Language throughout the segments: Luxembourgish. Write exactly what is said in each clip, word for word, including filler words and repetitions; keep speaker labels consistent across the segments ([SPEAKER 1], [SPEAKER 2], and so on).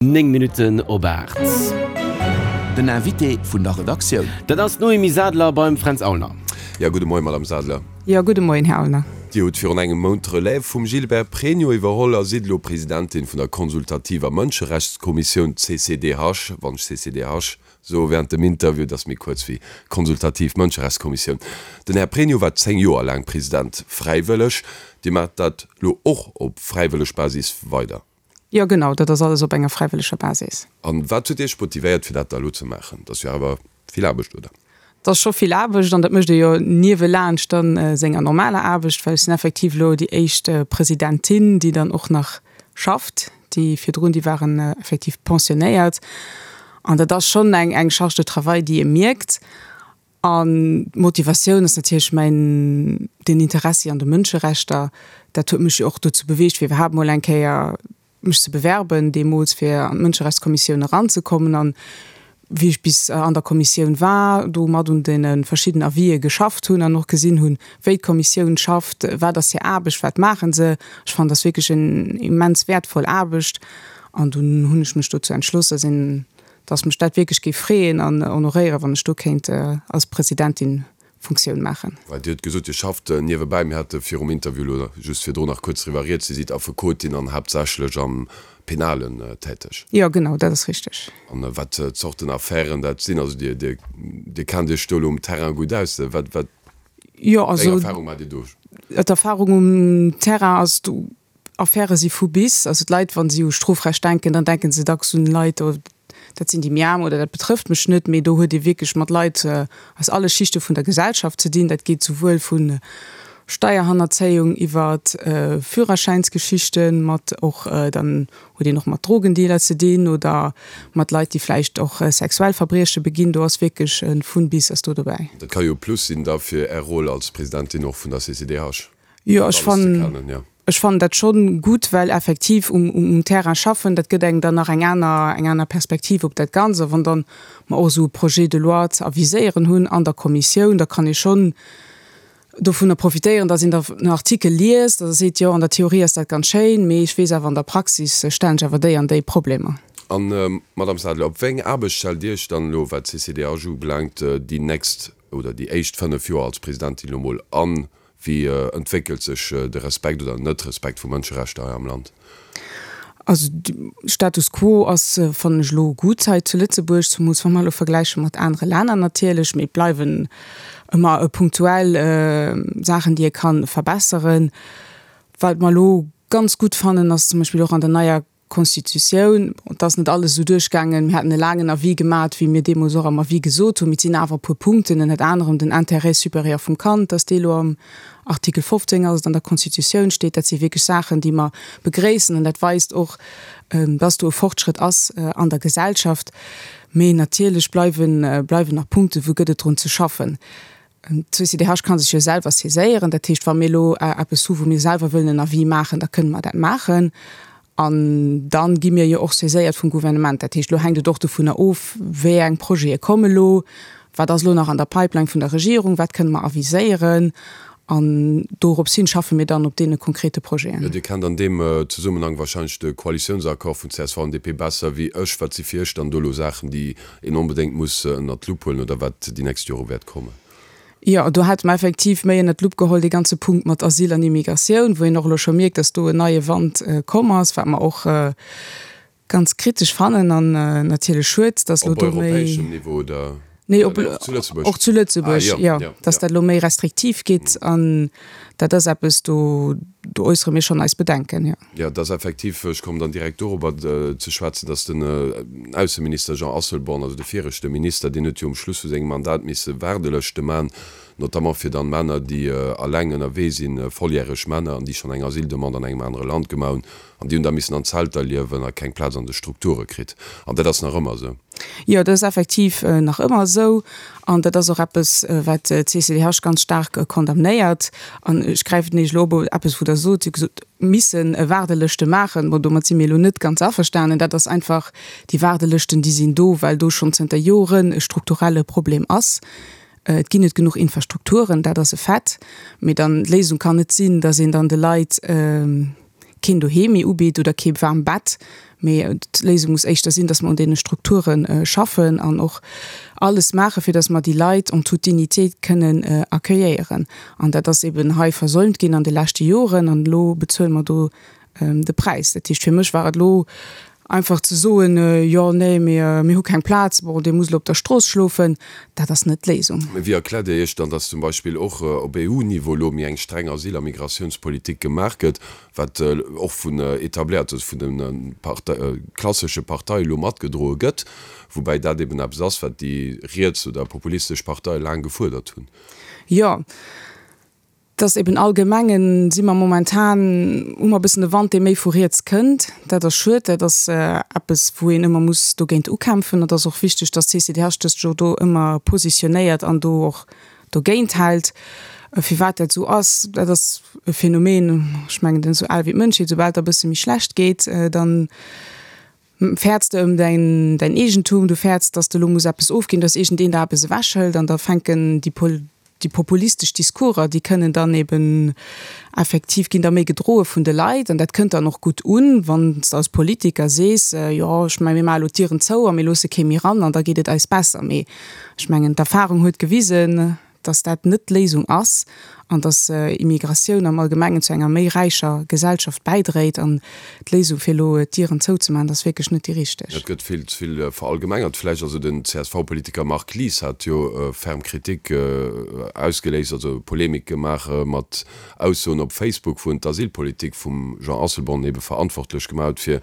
[SPEAKER 1] Néng Minutten op aacht.
[SPEAKER 2] Den Invité vun der Redaktioun.
[SPEAKER 1] Dat ass d'Noémie Sadler beim Fränz Aulner.
[SPEAKER 3] Jo, gudde Moien, Madame Sadler.
[SPEAKER 4] Jo, gudde Moien, Här Aulner.
[SPEAKER 3] Dir hutt virun engem Mount d'Relève vum Gilbert Pregno iwwerholl a sidd elo Presidentin vun der consultativer Mënscherechtskommissioun, C C D H. Wann ech C C D H soe während dem Interview, dat ass méi kuerz wéi consultativ Mënscherechtskommissioun. Den Här Pregno war zéng Joer laang President, fräiwëlleg. Dir maacht dat elo och op fräiwëlleg Basis weider?
[SPEAKER 4] Jo, genau, dat ass alles op enger fräiwëlleger Basis.
[SPEAKER 3] An wat huet Iech motivéiert, fir dat da elo ze maachen? Dat ass jo awer vill Aarbecht, oder?
[SPEAKER 4] Dat ass scho vill Aarbecht an dat mécht ee jo niewelaanscht dann senger normaler Aarbecht, well ech sinn effektiv elo déi éischt Presidentin, déi dann och nach schafft. Déi virdrun, déi waren effektiv pensionéiert. An dat ass schonn eng eng Charge de travail, déi ee mierkt. An d'Motivatioun ass natierlech mäin den Interessi an de Mënscherechter. Dat huet mech jo och dozou beweegt, fir iwwerhaapt mol eng Kéier mech ze bewerben deemools, fir an d'Mënscherechtskommissioun eranzekommen. An wéi ech bis an der Kommissioun war, do mat un deene verschidden Avisë geschafft hunn an och gesinn hunn, wéi d'Kommissioun schafft, wat ass hir Aarbecht, wat maache se. Ech fannen, dat ass wierklech en immens wäertvoll Aarbecht. An dunn hunn ech mech dozou entschloss, dass een, dass mech dat wierklech géif freeën an honoréieren, wann ech do kéint als Presidentin Funktioun maachen.
[SPEAKER 3] Well Dir hutt gesot, Dir schafft niewebäi. Mir hate virum Interview elo just virdrun nach kuerz driwwer rieds. Dir sidd Affekotin an haaptsächlech am Penalen täteg.
[SPEAKER 4] Jo, genau, dat ass richteg.
[SPEAKER 3] An wat Zorten Affären dat sinn, also Dir, Dir, Dir kennt Iech do elo um Terrain gutt aus. Wat, wat,
[SPEAKER 4] Jo,
[SPEAKER 3] wéi eng
[SPEAKER 4] also
[SPEAKER 3] Erfahrung maacht Dir do?
[SPEAKER 4] d'Erfahrung um Terrain ass, do Affäre si vu bis. Also d'Leit, wa si u Strofrecht denken, dann denke se dacks un Leit, dat sinn déi méi Aarm oder dat betrëfft mech net, mee do huet ee wierklech mat Leit aus alle Schichte vun der Gesellschaft ze dinn. Dat geet souwuel vu Steierhannerzéiung iwwer Führerschäinsgeschichten, mat och dann huet een och mat Drogendealer ze dinn oder mat Leit, déi vläicht och sexuell Verbrieche beginn. Do ass wierklech vun bis ass do dobäi.
[SPEAKER 3] Dat ka jo e Plus sinn da fir Är Roll als Presidentin och vun der C C D H.
[SPEAKER 4] Jo, ech fannen, ech fannen dat schonn gutt, well effektiv um, um Terrain schaffen, dat gëtt engem dann nach eng aner, eng aner Perspektiv op dat Ganzt. A wann dann mer och esou e Projet de loi ze aviséieren hunn an der Kommissioun, da kann ee schonn dovunner profitéieren, datt een da en Artikel liest a seet, jo, an der Theorie ass dat ganz schéin, mee ech weess awer, an der Praxis stellen sech awer déi an déi Problemer.
[SPEAKER 3] An, Madame Sadler, op wéi eng Aarbecht stellt Dir Iech dann elo, wat d'C C D H ubelaangt, déi nächst oder déi éischt fënnef Joer als Presidentin elo mol an? Wéi entwéckelt sech de Respekt oder Net-Respekt vu Mënscherechter hei am Land?
[SPEAKER 4] Also Status quo ass, fannen ech, elo gutt hei zu Lëtzebuerg, zemools wa mer elo vergläiche mat anere Länner natierlech. Mee et bleiwen ëmmer punktuell Saachen, déi ee ka verbesseren. Wat mer elo ganz gutt fannen, ass zum Beispill och an der neier Constitutioun, et ass net alles esou duerchgaangen, mir haten e laangen Avis gemat, wéi mir deemools och am Avis gesot hunn, mee et sinn awer e puer Punkten, ënnert anerem den Intérêt supérieur vum Kand, dass dee elo am Artikel fofzéng ass, et an der Constitutioun steet. Dat si wierklech Saachen, déi mer begréissen an dat weist och, dass do e Fortschrëtt ass an der Gesellschaft. Mee natierlech bleiwen, bleiwen nach Punkten, wou gëtt et drun ze schaffen. D'C C D H ka sech jo selwer saiséieren, dat heescht, wa mir elo eppes hu wou mir selwer wëllen en Avis maachen, da kënne mer dat maachen. An dann gi mir jo och saiséiert vum Gouvernement. Dat heescht, elo hänkt et och dovunner of, wéi eng Projete komme lo, wat ass elo nach an der Pipeline vun der Regierung, wat kënne mer aviséieren. An dorops hin schaffe mir dann op deene konkrete Projeten.
[SPEAKER 3] Jo, Dir kennt an deem Zesummenhang wahrscheinlech de Koalitiounsaccord vun C S V an D P besser wéi ech. Wat si fir Iech dann do elo Saachen, déi een onbedéngt muss ënnert d'Lupp huelen oder wat déi nächst Jore wäert kommen?
[SPEAKER 4] Jo, do hate mer effektiv méi ënnert d'Lupp geholl dee ganze Punkt mat Asyl an Immigratioun, wou een och elo scho mierkt, dass do en neie Wand komm ass, wat mer och ganz kritesch fannen an natierlech schued, dass elo
[SPEAKER 3] Op
[SPEAKER 4] do méi.
[SPEAKER 3] Europäeschem Niveau oder?
[SPEAKER 4] Nee, op,
[SPEAKER 3] Oder zu Lëtzebuerg?
[SPEAKER 4] Och zu
[SPEAKER 3] Ah,
[SPEAKER 4] Lëtzebuerg,
[SPEAKER 3] jo,
[SPEAKER 4] jo,
[SPEAKER 3] jo,
[SPEAKER 4] dass
[SPEAKER 3] jo.
[SPEAKER 4] dat elo méi restriktiv geet an dat ass eppes, do, do äussere mir schonn eis Bedenken, jo.
[SPEAKER 3] Jo, et ass effektiv, ech kommen dann direkt dorobber ze schwätzen, dass den Ausseminister Jean Asselborn, also de viregte Minister, deen huet jo um Schluss vu sengem Mandat misse Waardelëschte man, notamment fir dann Männer, déi alleng ënnerwee sinn, volljäreg Männer, an déi schonn eng Asyldemande an engem anere Land gemaach hunn, an déi hunn da missen an Zelter liewen a keng Plaz an de Strukture kritt. An dat ass nach ëmmer esou.
[SPEAKER 4] Jo, dat ass effektiv nach ëmmer esou. An dat ass och eppes, wat d'C C D H ganz staark condamnéiert. An ech gräifen Iech elo op eppes, wou Der sot, Dir hutt gesot, misse Waardelëschte maachen. Bon, domat si mir elo net ganz averstanen. Dat ass einfach, déi Waardelëschten, déi sinn do, well do schonn zënter Joren e strukturelle Problem ass. Et ginn net genuch Infrastrukturen, dat ass e Fait. Mee dann d'Léisung kann net sinn, datt een dann de Leit keen Doheem méi ubitt oder kee waarmt Bett, Mee d'Léisung muss éischter sinn, dass mer un deene Strukture schaffen an och alles maachen, fir dass mer déi Leit en toute dignité kënnen accueilléieren. An dat ass eben hei versäumt ginn an de leschte Joren an elo bezuele mer do de Präis. Dat heescht, fir mech war et elo einfach ze soen, jo, nee, mir, mir hu keng Plaz, bon, dir musst elo op der Strooss schlofen, dat ass net d'Léisung.
[SPEAKER 3] Mee wéi erkläert Dir Iech dann, dass zum Beispill och op EU-Niveau elo méi eng streng Asyl a Migratiounspolitik gemaach gëtt, wat och vun etabléiert, also vun de klassesche Parteie elo matgedroe gëtt, woubäi dat eben eppes ass, wat déi riets oder populistesch Parteie laang gefuerdert hunn?
[SPEAKER 4] Jo, Et ass eben allgemengen, si mer momentan, hu mer e bëssen e Wand, dee méi vu riets kënnt. Dat ass schued, dat ass eppes, wou een ëmmer muss dogéint ukämpfen. Et ass och wichteg, datt d'CCDH dëst jo do ëmmer positionéiert an do och dogéint hält. Firwat dat esou ass, dat ass e Phänomen, ech mengen, deen ass esou al wéi d'Mënschheet, soubal et der e bësse méi schlecht geet, dann fäerts de ëm däin, däin Eegentum, du fäerts, datt s de elo muss eppes ofginn, datt iergendeen der eppes ewechhëlt an da fänken déi Déi populistesch Discourser, déi kënnen dann eben effektiv, ginn da méi gedroe vun de Leit an dat kënnt dann och gutt un, wann s de als Politiker sees, jo, ech mengen, mir maache elo d'Dieren zou a mir loosse kee méi ran an da geet et eis besser. Mee ech mengen, d'Erfahrung huet gewisen, dass dat net d'Léisung ass an dass Immigratioun am Allgemengen zu enger méi räicher Gesellschaft bäidréit. An d'Léisung, fir elo d'Dieren zouzemaachen, dat ass wierklech net déi richteg.
[SPEAKER 3] Et gëtt vill ze vill verallgemengert vläicht. Also den C S V-Politiker Marc Lies hat jo ferm Kritik ausgeléist, also Polemik gemaach mat Aussoen op Facebook, wou en d'Asylpolitik vum Jean Asselborn ebe verantwortlech gemaach huet fir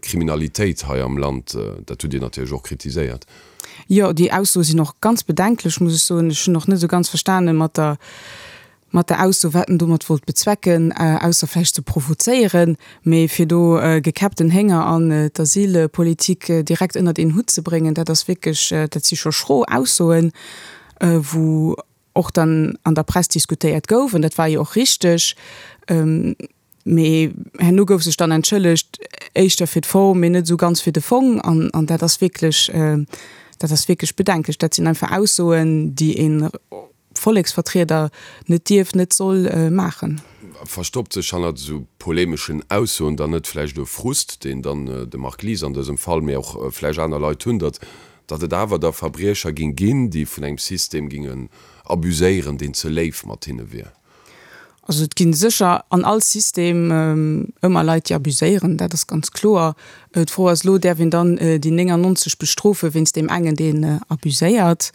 [SPEAKER 3] Kriminalitéit hei am Land. Dat hutt Dir natierlech och kritiséiert.
[SPEAKER 4] Jo, déi Aussoe sinn och ganz bedenklech, muss ech soen. Ech hunn och net esou ganz verstane mat der mat der Ausso, wat en domat wollt bezwecken, ausser vläicht ze provozéieren. Mee fir do gekäppten Hénger an d'Asylpolitik direkt ënnert een Hutt ze bréngen, dat ass wierklech, dat si scho schro Aussoen, wou och dann an der Press diskutéiert gouf, an dat war jo och richteg. Mee herno gouf sech dann entschëllegt, éischter fir d'Form, mee net esou ganz fir de Fong. An, an dat ass wierklech, dat ass wierklech bedenklech. Dat sinn einfach Aussoen, déi e Volleksvertrieder net dierf, net soll maachen.
[SPEAKER 3] Verstoppt sech hannert esou polemeschen Aussoen dann net vläicht e Frust, deen dann de Marc Lies an dësem Fall, mee och vläicht aner Leit hunn, datt datt et awer da Verbriecher géing ginn, déi vun engem System géingen abuséieren, deen ze léif mat hinne wier?
[SPEAKER 4] Also et gi sécher an all System ëmmer Leit, déi abuséieren, dat ass ganz kloer. D'Fro ass elo, däerf een dann déi néngannonzeg bestrofe wéinst deem engen, deen abuséiert?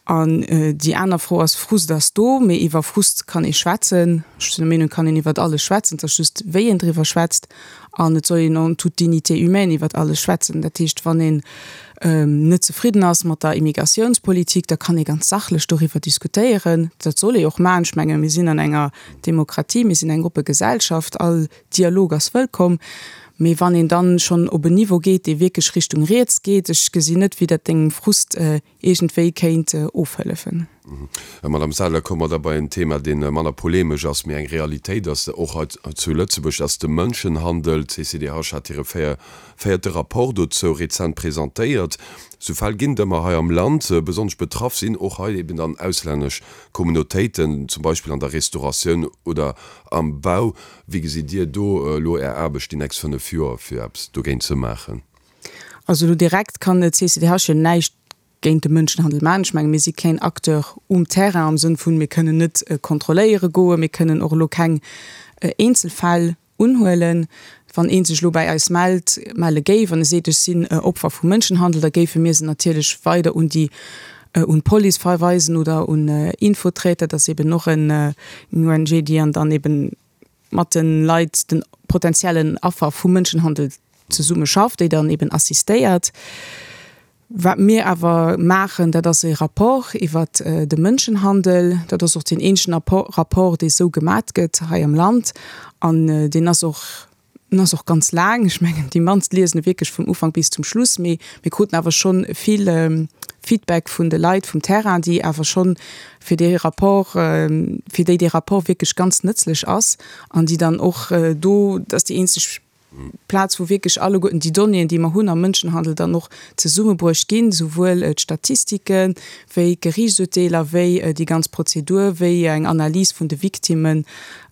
[SPEAKER 4] An déi aner Fro ass, Frust ass do, mee iwwer Frust kann ee schwätzen. Ech sinn der Meenung, et kann een iwwert alles schwätzen, et ass just, wéi een driwwer schwätzt. An et soll een en toute dignité humaine iwwert alles schwätzen. Dat heescht, wann een net zefridden ass mat der Immigratiounspolitik, da kann ee ganz sachlech doriwwer diskutéieren. Dat soll ee och maachen. Ech menge mir sinn an enger Demokratie, mir sinn eng oppe Gesellschaft, all Dialog ass wëllkomm. Mee wann een dann schonn op en Niveau geet, dee wierklech Richtung riets geet, ech gesinn net, wéi dat dengem Frust iergendwéi kéint ofhëllefen.
[SPEAKER 3] Madame Sadler, komme mer da bei en Thema, dee manner polemesch ass, mee eng Realitéit ass, och hei zu Lëtzebuerg, dat ass de Mënschenhandel. D'C C D H hat hire véierte Rapport dozou rezent presentéiert. Sou Fäll ginn et ëmmer hei am Land. Besonnesch betraff sinn och hei eben dann auslännesch Communautéiten, zum Beispill an der Restauratioun oder am Bau. Wéi gesitt Dir do elo Är Aarbecht déi nächst fënnef Joer, fir eppes dogéint ze maachen?
[SPEAKER 4] Also elo direkt kann d'C C D H jo näischt géint de Mënschenhandel maachen. Ech menge mir si keen Acteur um Terrain am Sënn vun, mir kënnen net kontrolléiere goen, mir kënnen och elo keng Eenzelfäll unhuelen. Wann ee sech elo bäi eis mellt, melle géif an e seet, ech sinn Opfer vu Mënschenhandel, da géife mir se natierlech weider un déi, un d'Police verweisen oder un Infoträter, dat ass eben och en O N G, déi an dann eben mat de Leit, de potenziellen Affer vu Mënschenhandel zesumme schafft, déi dann eben assistéiert. Wat mir awer maachen, dat ass e Rapport iwwert de Mënschenhandel. Dat ass och deen eenzegen Rapport, dee sou gemat gëtt hei am Land. An deen ass och, en ass och ganz laang. Ech mengen, déi mannst liesen e wierklech vum Ufank bis zum Schluss. Mee mir kruten awer scho vill Feedback vun de Leit vum Terrain, déi awer schonn fir dee Rapport, fir déi dee Rapport wierklech ganz nëtzlech ass an déi dann och do, dat ass déi eenzeg d'Plaz, wou wierklech alleguerten déi Donnéeën, déi mer hunn am Mënschenhandel, dann och zesummebruecht ginn, souwuel d'Statistike wéi d'Geriichtsurteeler, wéi déi ganz Prozedur, wéi eng Analys vun de Victimmen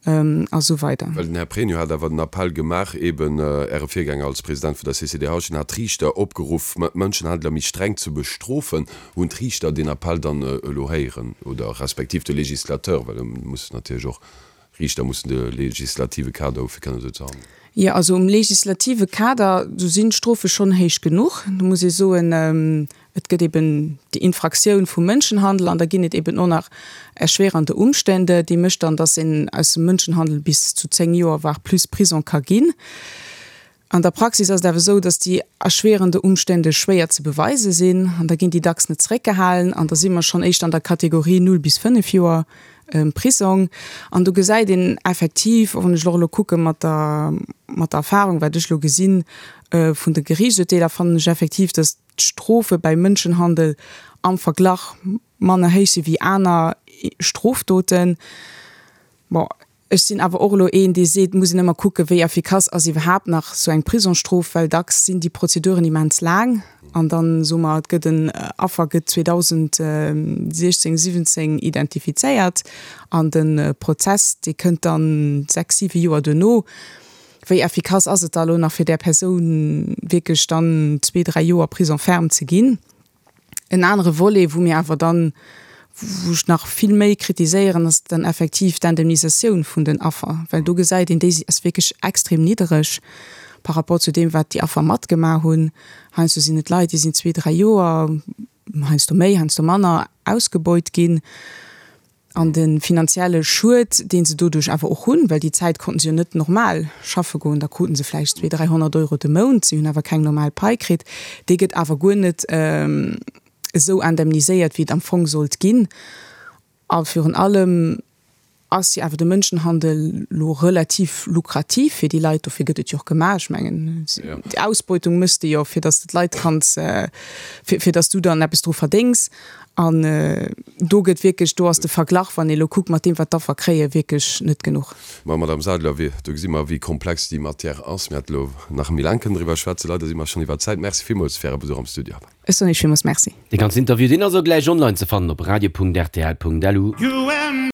[SPEAKER 4] a sou weider.
[SPEAKER 3] Well den Här Pregno hat awer den Appell gemaach, eben Äre Virgänger als President vun der C C D H, en hat d'Riichter opgeruff, Mënschenhändler méi streng ze bestrofen. Hunn d'Riichter deen Appell dann elo héieren oder respektiv de Législateur, well e muss natierlech och, Riichter mussen de legislative Kader hu fir kënnen esou ze handelen?
[SPEAKER 4] Jo, also um legislative Kader, do sinn d'Strofe schonn héich genuch. Do muss ee soen, et gëtt eben déi Infraktioun vum Mënschenhandel an da ginn et eben och nach erschwerende Umstände, déi mécht dann, dass een aus dem Mënschenhandel bis zu zéng Joer voire plus Prison ka ginn. An der Praxis ass et awer esou, dass déi erschwerende Umstände schwéier ze beweise sinn an da ginn déi dacks net zeréckgehalen an da si mer schonn éischter an der Kategorie null bis fënnef Joer Prisong. An do gesäit een effektiv, och wann ech och elo kucke mat der, mat der Erfahrung, wat ech elo gesinn vun de Geriichtsurteeler, fannen ech effektiv, dass d'Strofe bei Mënschenhandel am Verglach manner héich si wéi aner Strofdoten. Bon, ech sinn awer och elo een, dee seet, et muss een ëmmer kucken, wéi effikass ass iwwerhaapt nach esou eng Prisongsstrof, well dacks sinn déi Prozeduren immens laang an dann, soe mer, et gëtt en Affer gëtt zweedausendsiechzéng, siwwenzéng identifizéiert an de Prozess, dee kënnt dann sechs, siwe Joer duerno. Wéi effikass ass et da elo nach fir där Persoun wierklech dann zwee, dräi Joer Prison ferme ze ginn? En anere Volet, wou mir awer dann, wou ech nach vill méi kritiséieren, ass dann effektiv d'Indemnisatioun vun den Affer, well do gesäit een, déi ass wierklech extrem niddereg par rapport zu deem, wat déi Affer matgemaach hunn. Heiansdo sinn et Leit, déi sinn zwee, dräi Joer, heiansdo méi, heiansdo manner, ausgebeut ginn. An de finanzielle Schued, dee se doduerch awer och hunn, well déi Zäit konnten se jo net normal schaffe goen, da kruten se vläicht zwee, dräihonnert Euro de Mount, si hunn awer keng normal Pai kritt, dee gëtt awer guer net esou indemniséiert, wéi et am Fong sollt ginn. A virun allem ass jo awer de Mënschenhandel lo relativ lukrativ fir déi Leit, dofir gëtt et jo och gemaach. Ech mengen, déi Ausbeutung méchs de jo, fir datt s de d'Leit kanns, fir, fir datt s du dann eppes dru verdéngs. An do gëtt wierklech, do ass de Verglach, wann ee lo kuckt mat deem, wat d'Affer kréien, wierklech net genuch.
[SPEAKER 3] Ma Madame Sadler, wéi, do gesi mer, wéi komplex déi Matière ass. Mir hätte lo nach méi laang kënnen driwwer schwätzen. Leider si mer schonn iwwer d'Zäit. Merci villmools fir Äre Besuch am Studio.
[SPEAKER 4] Ech soen Iech villmools Merci.
[SPEAKER 1] Dee ganzen Interview, deen ass och gläich online ze fannen op radio punkt rtl punkt lu.